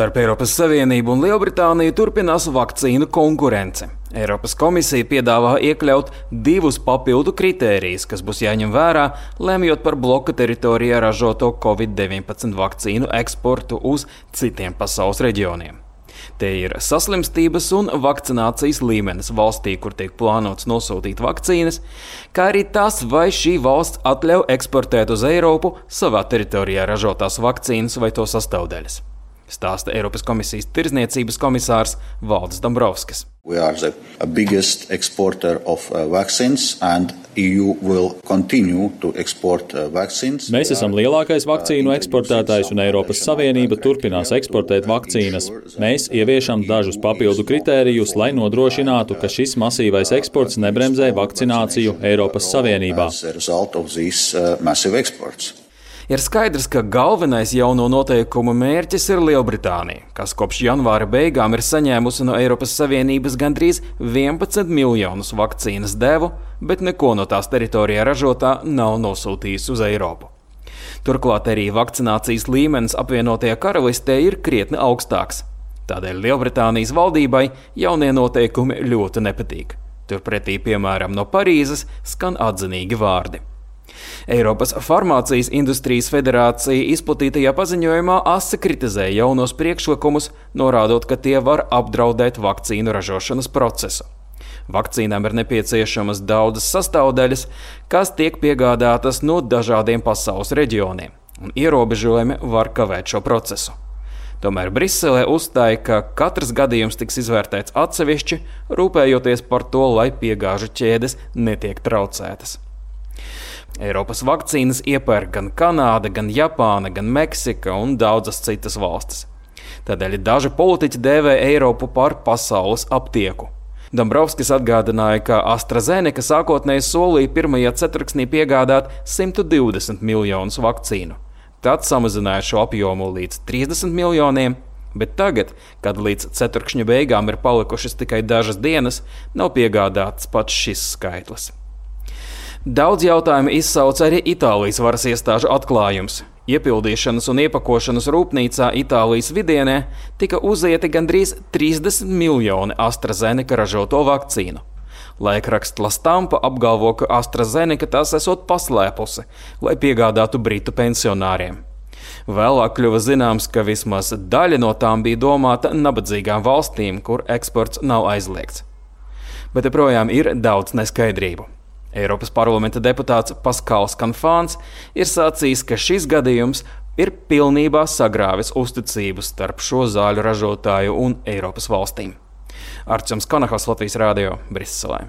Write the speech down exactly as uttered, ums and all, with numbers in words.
Starp Eiropas Savienību un Lielbritāniju turpinās vakcīnu konkurence. Eiropas komisija piedāvā iekļaut divus papildu kritērijus, kas būs jāņem vērā, lemjot par bloka teritorijā ražoto covid deviņpadsmit vakcīnu eksportu uz citiem pasaules reģioniem. Te ir saslimstības un vakcinācijas līmenis valstī, kur tiek plānots nosūtīt vakcīnas, kā arī tas, vai šī valsts atļauj eksportēt uz Eiropu savā teritorijā ražotās vakcīnas vai to sastāvdaļas. Stāsta Eiropas komisijas tirdzniecības komisārs Valdis Dombrovskis. We are the biggest exporter of vaccines and E U will continue to export vaccines. Mēs esam lielākais vakcīnu eksportētājs un Eiropas Savienība turpinās eksportēt vakcīnas. Mēs ieviešam dažus papildu kritērijus, lai nodrošinātu, ka šis masīvais eksports nebremzē vakcināciju Eiropas Savienībā. Ir skaidrs, ka galvenais jauno noteikumu mērķis ir Lielbritānija, kas kopš janvāra beigām ir saņēmusi no Eiropas Savienības gandrīz vienpadsmit miljonus vakcīnas devu, bet neko no tās teritorijā ražotā nav nosūtījusi uz Eiropu. Turklāt arī vakcinācijas līmenis apvienotajā karalistē ir krietni augstāks. Tādēļ Lielbritānijas valdībai jaunie noteikumi ļoti nepatīk. Turpretī, piemēram, no Parīzes skan atzinīgi vārdi. Eiropas farmācijas industrijas federācija izplatītajā paziņojumā asi kritizēja jaunos priekšlikumus, norādot, ka tie var apdraudēt vakcīnu ražošanas procesu. Vakcīnām ir nepieciešamas daudzas sastāvdaļas, kas tiek piegādātas no dažādiem pasaules reģioniem, un ierobežojumi var kavēt šo procesu. Tomēr Briselē uzstāja, ka katrs gadījums tiks izvērtēts atsevišķi, rūpējoties par to, lai piegāžu ķēdes netiek traucētas. Eiropas vakcīnas iepērk gan Kanāda, gan Japāna, gan Meksika un daudzas citas valstis. Tādēļ daži politiķi dēvē Eiropu par pasaules aptieku. Dombrovskis atgādināja, ka AstraZeneca sākotnēji solīja pirmajā ceturksnī piegādāt simt divdesmit miljonus vakcīnu. Tad samazināja šo apjomu līdz trīsdesmit miljoniem, bet tagad, kad līdz ceturkšņa beigām ir palikušas tikai dažas dienas, nav piegādāts pats šis skaitlis. Daudz jautājumu izsauca arī Itālijas varas iestāžu atklājums. Iepildīšanas un iepakošanas rūpnīcā Itālijas vidienē tika uzieti gandrīz trīsdesmit miljoni AstraZeneca ražoto vakcīnu. Laikraksts La Stampa apgalvo, ka AstraZeneca tās esot paslēpusi, lai piegādātu britu pensionāriem. Vēlāk kļuva zināms, ka vismaz daļa no tām bija domāta nabadzīgām valstīm, kur eksports nav aizliegts. Bet joprojām ir daudz neskaidrību. Eiropas parlamenta deputāts Paskals Kanfāns ir sacījis, ka šis gadījums ir pilnībā sagrāvis uzticību starp šo zāļu ražotāju un Eiropas valstīm. Arčuns Konahos, Latvijas radio, Briselē.